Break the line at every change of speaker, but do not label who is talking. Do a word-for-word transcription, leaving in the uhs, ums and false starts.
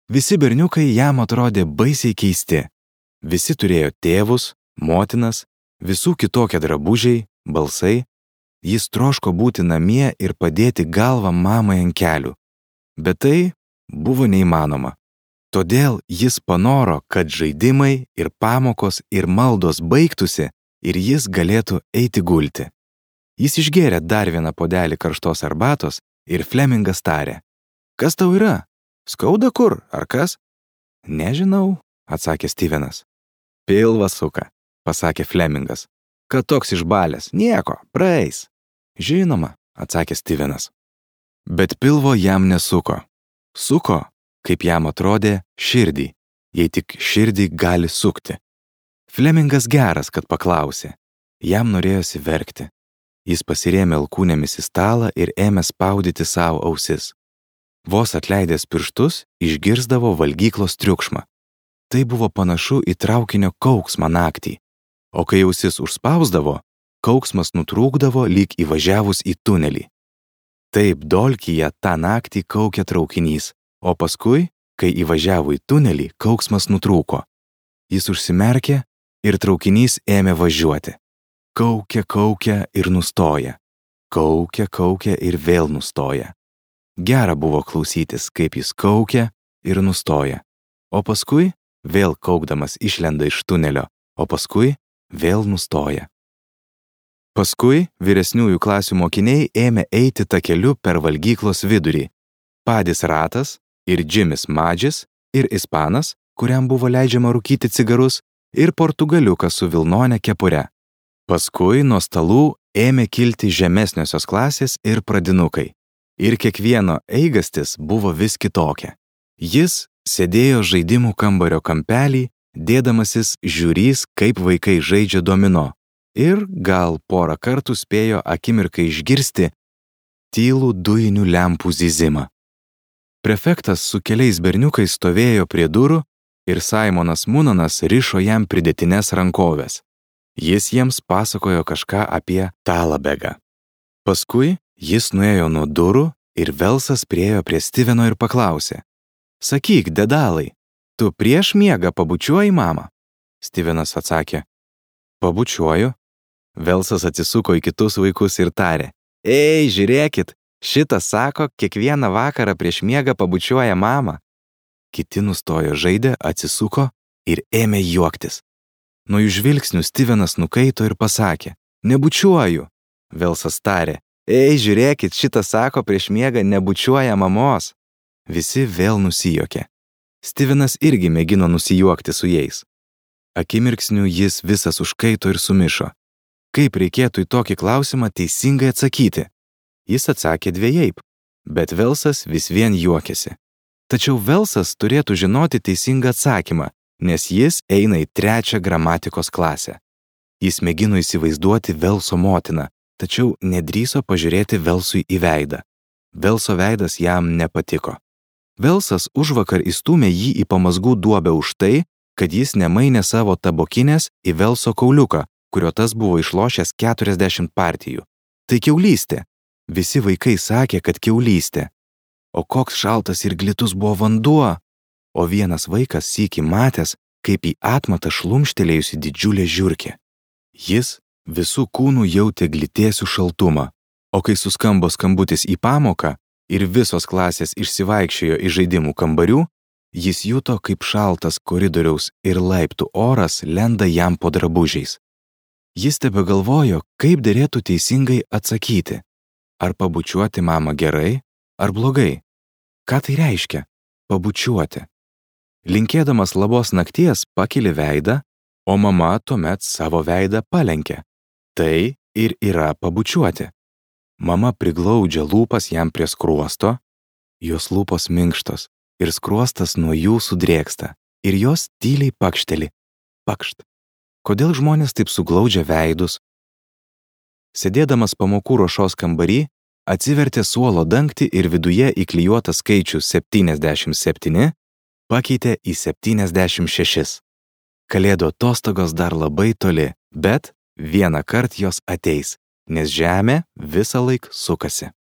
Visi berniukai jam atrodė baisiai keisti. Visi turėjo tėvus, motinas, visų kitokie drabužiai, balsai. Jis troško būti namie ir padėti galvą mamai ant kelių. Bet tai buvo neįmanoma. Todėl jis panoro, kad žaidimai ir pamokos ir maldos baigtųsi ir jis galėtų eiti gulti. Jis išgėrė dar vieną puodelį karštos arbatos ir Flemingas tarė: "Kas tau yra? Skauda kur, ar kas?" "Nežinau," atsakė Stevenas. "Pilvą suka," pasakė Flemingas. "Kad toks išbalęs, nieko, praeis." "Žinoma," atsakė Stevenas. Bet pilvo jam nesuko. Suko, kaip jam atrodė, širdį, jei tik širdį gali sukti. Flemingas geras, kad paklausė. Jam norėjosi verkti. Jis pasirėmė alkūnėmis į stalą ir ėmė spaudyti savo ausis. Vos atleidęs pirštus, išgirsdavo valgyklos triukšmą. Tai buvo panašu į traukinio kauksmą naktį. O kai ausis užspausdavo, kauksmas nutrūkdavo lyg įvažiavus į tunelį. Taip Dolkyje tą naktį kaukė traukinys, o paskui, kai įvažiavo į tunelį, kauksmas nutrūko. Jis užsimerkė ir traukinys ėmė važiuoti. Kaukia, kaukia ir nustoja. Kaukia, kaukia ir vėl nustoja. Gera buvo klausytis, kaip jis kaukia ir nustoja. O paskui vėl kaukdamas išlenda iš tunelio, o paskui vėl nustoja. Paskui vyresniųjų klasių mokiniai ėmė eiti takeliu per valgyklos vidurį. Padis Ratas ir Džimis Madžis ir ispanas, kuriam buvo leidžiama rūkyti cigarus, ir portugaliukas su vilnone kepure. Paskui nuo stalų ėmė kilti žemesniosios klasės ir pradinukai. Ir kiekvieno eigastis buvo vis kitokia. Jis sėdėjo žaidimų kambario kampelį, dėdamasis žiūrys, kaip vaikai žaidžia domino. Ir gal porą kartų spėjo akimirkai išgirsti tylų dujinių lempų zyzimą. Prefektas su keliais berniukais stovėjo prie durų ir Saimonas Munanas rišo jam pridėtines rankovės. Jis jiems pasakojo kažką apie Talabegą. Paskui jis nuėjo nuo durų ir Velsas priėjo prie Steveno ir paklausė: "Sakyk, dedalai, tu prieš miegą pabučiuoji mamą?" Stevenas atsakė: "Pabučiuoju." Velsas atsisuko į kitus vaikus ir tarė: "Ei, žiūrėkit, šitas sako, kiekvieną vakarą prieš miegą pabučiuoja mamą." Kiti nustojo žaidę, atsisuko ir ėmė juoktis. Nuo jų žvilgsnių Stevenas nukaito ir pasakė: "Nebučiuoju." Velsas tarė: "Ei, žiūrėkit, šitas sako, prieš miegą nebučiuoja mamos." Visi vėl nusijuokė. Stevenas irgi mėgino nusijuokti su jais. Akimirksniu jis visas užkaito ir sumišo. Kaip reikėtų į tokį klausimą teisingai atsakyti? Jis atsakė dviejaip, bet Velsas vis vien juokėsi. Tačiau Velsas turėtų žinoti teisingą atsakymą, nes jis eina į trečią gramatikos klasę. Jis mėgino įsivaizduoti Velso motiną, tačiau nedrįso pažiūrėti Velsui į veidą. Velso veidas jam nepatiko. Velsas užvakar įstūmė jį į pamazgų duobę už tai, kad jis nemainė savo tabokinės į Velso kauliuką, kurio tas buvo išlošęs keturiasdešimt partijų. Tai kiaulystė. Visi vaikai sakė, kad kiaulystė. O koks šaltas ir glitus buvo vanduo. O vienas vaikas sykį matęs, kaip į atmatą šlumštelėjusi didžiulė žiurkė. Jis visų kūnų jautė glitėsių šaltumą, o kai suskambo skambutis į pamoką ir visos klasės išsivaikščiojo į žaidimų kambarių, jis juto, kaip šaltas koridoriaus ir laiptų oras lenda jam po drabužiais. Jis tebegalvojo, kaip derėtų teisingai atsakyti. Ar pabučiuoti mamą gerai, ar blogai? Ką tai reiškia? Pabučiuoti. Linkėdamas labos nakties pakeli veidą, o mama tuomet savo veidą palenkė. Tai ir yra pabučiuoti. Mama priglaudžia lūpas jam prie skruosto, jos lūpos minkštos ir skruostas nuo jų sudrėksta ir jos tyliai pakšteli. Pakšt. Kodėl žmonės taip suglaudžia veidus? Sėdėdamas pamokų ruošos kambarį, atsivertė suolo dangtį ir viduje įklijuotą skaičių septyniasdešimt septyni pakeitė į septyniasdešimt šešis. Kalėdų atostogos dar labai toli, bet vieną kart jos ateis, nes žemė visą laik sukasi.